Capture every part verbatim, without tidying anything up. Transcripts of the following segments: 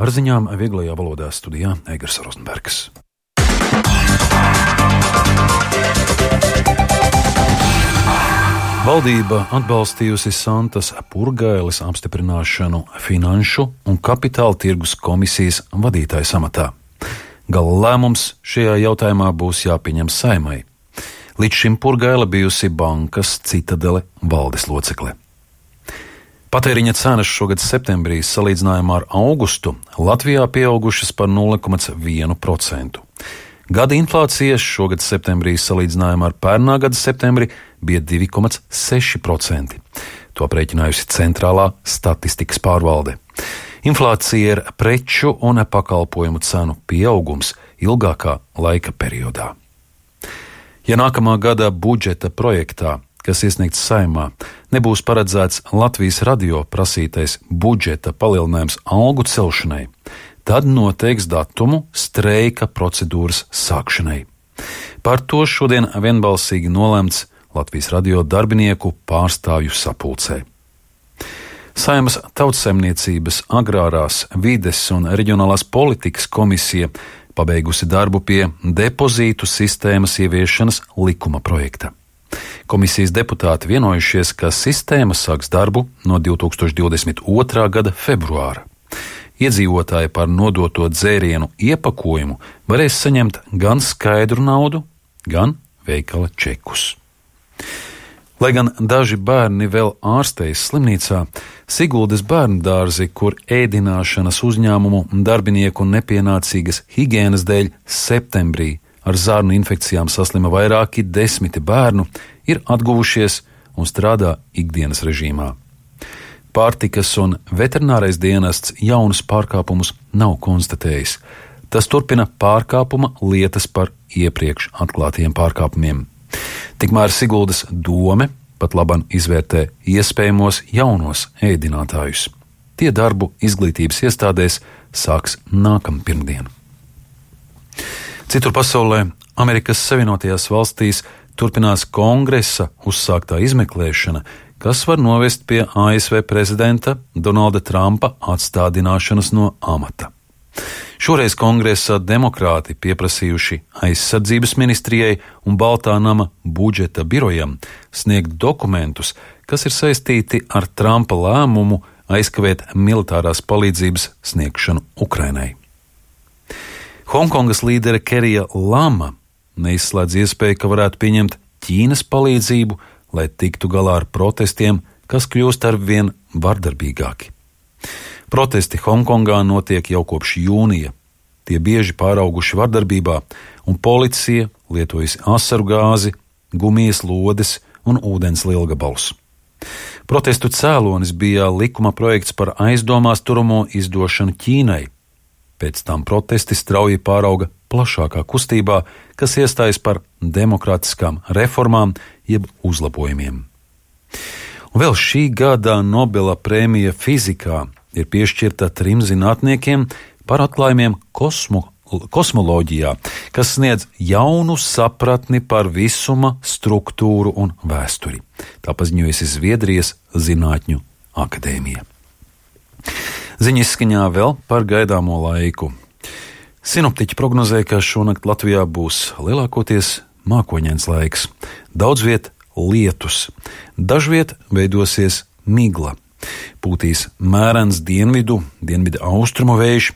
Ar ziņām vieglajā valodā studijā Eigars Rozenbergs. Valdība atbalstījusi Santas Purgailes apstiprināšanu Finanšu un kapitāla tirgus komisijas vadītājas amatā. Gala lēmums šajā jautājumā būs jāpieņem Saeimai. Līdz šim Purgaile bijusi bankas Citadele valdes locekle. Patēriņa cenas šogad septembrī salīdzinājumā ar augustu Latvijā pieaugušas par nulle komats vienu procentu. Gada inflācija šogad septembrī salīdzinājumā ar pērnā gada septembri bija divi komats seši procenti. To aprēķinājusi Centrālā statistikas pārvalde. Inflācija ir preču un pakalpojumu cenu pieaugums ilgākā laika periodā. Ja nākamā gada budžeta projektā, kas iesniegts Saeimā, nebūs paredzēts Latvijas radio prasītais budžeta palielinājums algu celšanai, tad noteiks datumu streika procedūras sākšanai. Par to šodien vienbalsīgi nolēmts Latvijas radio darbinieku pārstāvju sapulcē. Saeimas Tautsaimniecības, agrārās, vides un reģionālās politikas komisija pabeigusi darbu pie depozītu sistēmas ieviešanas likuma projekta. Komisijas deputāti vienojušies, ka sistēma sāks darbu no divi tūkstoši divdesmit otrā gada februāra. Iedzīvotāji par nodoto dzērienu iepakojumu varēs saņemt gan skaidru naudu, gan veikala čekus. Lai gan daži bērni vēl ārstējas slimnīcā, Siguldas bērndārzi, kur ēdināšanas uzņēmumu darbinieku nepienācīgas higienas dēļ septembrī ar zarnu infekcijām saslima vairāki desmiti bērnu, ir atguvušies un strādā ikdienas režīmā. Pārtikas un veterinārais dienests jaunus pārkāpumus nav konstatējis. Tas turpina pārkāpuma lietas par iepriekš atklātiem pārkāpumiem. Tikmēr Siguldas dome pat laban izvērtē iespējamos jaunos ēdinātājus. Tie darbu izglītības iestādēs sāks nākamā pirmdiena. Citur pasaulē, Amerikas Savienotajās valstīs, turpinās kongresa uzsāktā izmeklēšana, kas var novest pie A S V prezidenta Donalda Trumpa atstādināšanas no amata. Šoreiz kongresā demokrāti pieprasījuši aizsardzības ministrijai un Baltā nama budžeta birojam sniegt dokumentus, kas ir saistīti ar Trumpa lēmumu aizkavēt militārās palīdzības sniegšanu Ukrainai. Hongkongas līdere Kerija Lama neizslēdz iespēju, ka varētu pieņemt Ķīnas palīdzību, lai tiktu galā ar protestiem, kas kļūst arvien vardarbīgāki. Protesti Hongkongā notiek jau kopš jūnija. Tie bieži pārauguši vardarbībā, un policija lietojas asaru gāzi, gumijas lodes un ūdens lielgabalus. Protestu cēlonis bija likuma projekts par aizdomās turamo izdošanu Ķīnai. Pēc tam protesti strauji pārauga plašākā kustībā, kas iestājas par demokrātiskām reformām jeb uzlabojumiem. Un vēl šī gada Nobela prēmija fizikā ir piešķirta trim zinātniekiem par atklājumiem kosmo, kosmoloģijā, kas sniedz jaunu sapratni par visuma struktūru un vēsturi. Tā paziņojusi Zviedrijas Zinātņu akadēmija. Ziņa izskaņā vēl par gaidāmo laiku. Sinoptiķi prognozē, ka šonakt Latvijā būs lielākoties mākoņains laiks. Daudz viet lietus. Dažviet veidosies migla. Pūtīs mērens dienvidu, dienvidu austrumu vējš.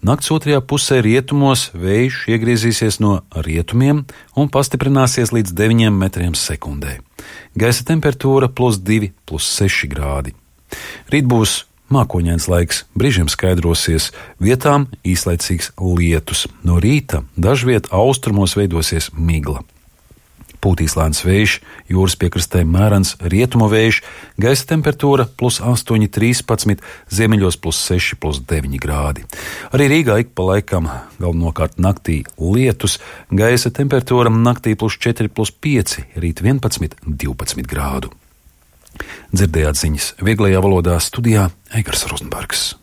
Nakts otrajā pusē rietumos vējš iegriezīsies no rietumiem un pastiprināsies līdz deviņiem metriem sekundē. Gaisa temperatūra plus divi, plus seši grādi. Rīt būs mākoņains laiks, brīžiem skaidrosies, vietām īslaicīgs lietus. No rīta dažviet austrumos veidosies migla. Pūtīs lēns vējš, jūras piekrastē mērens rietumu vējš, gaisa temperatūra plus astoņi, trīspadsmit, ziemeļos plus seši, plus deviņi grādi. Arī Rīgā ik pa laikam galvenokārt naktī lietus, gaisa temperatūra naktī plus četri, plus pieci, rīt vienpadsmit, divpadsmit grādu. Dzirdējāt ziņas vieglajā valodā studijā Eigars Rozenbergs.